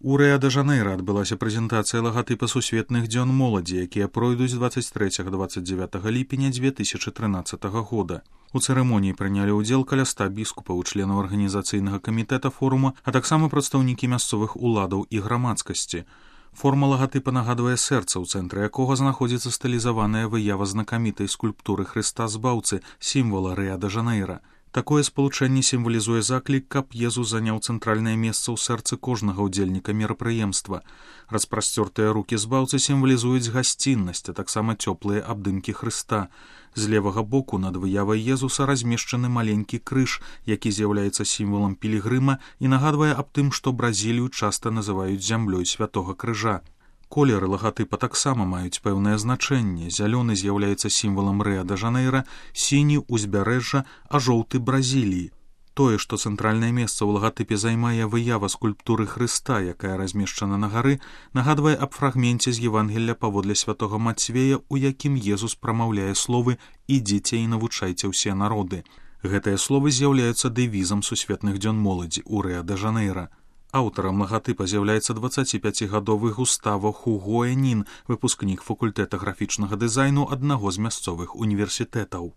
У Рыа-де-Жанейра адбылася прэзентацыя лагатыпа сусветных дзён моладзі, якія пройдуць 23-29 ліпеня 2013 года. У цырымоніі прынялі ўдзел каля 100 біскупаў, членаў арганізацыйнага камітэта форума, а таксама прадстаўнікі мясцовых уладаў і грамадскасці. Форма лагатыпа нагадвае сэрца, у цэнтры якога знаходзіцца стылізаваная выява знакамітай скульптуры Хрыста Збаўцы, сімвала Рыа-де-Жанейра. Такое спалучэнне сімвалізуе заклік, каб Езус заняў цэнтральнае месца ў сэрцы кожнага ўдзельніка мерапрыемства. Распрасцёртыя рукі збаўцы сімвалізуюць гасціннасць, а таксама цёплыя абдымкі Хрыста. З левага боку над выявай Езуса размешчаны маленькі крыж, які з'яўляецца сімвалам пілігрыма і нагадвае аб тым, што Бразілію часта называюць зямлёй святога крыжа. Колеры лагатыпа таксама маюць пэўнае значэнне. Зялёны з'яўляецца сімвалам Рыа-де-Жанейра, сіні ўзбярэжжа, а жоўты Бразіліі. Тое, што цэнтральнае месца ў лагатыпе займае выява скульптуры Хрыста, якая размешчана на гары, нагадвае аб фрагменце з Евангелля паводле святога Мацвея, у якім Езус прамаўляе словы «Ідзіце і навучайце ўсе народы». Гэтыя словы з'яўляюцца дэвізам сусветных дзён моладзі ў Рыа-де-Жанейра. Аўтарам лагатыпа з'яўляецца 25-гадовы Густаво Хугуэнін, выпускнік факультэта графічнага дызайну аднаго з мясцовых універсітэтаў.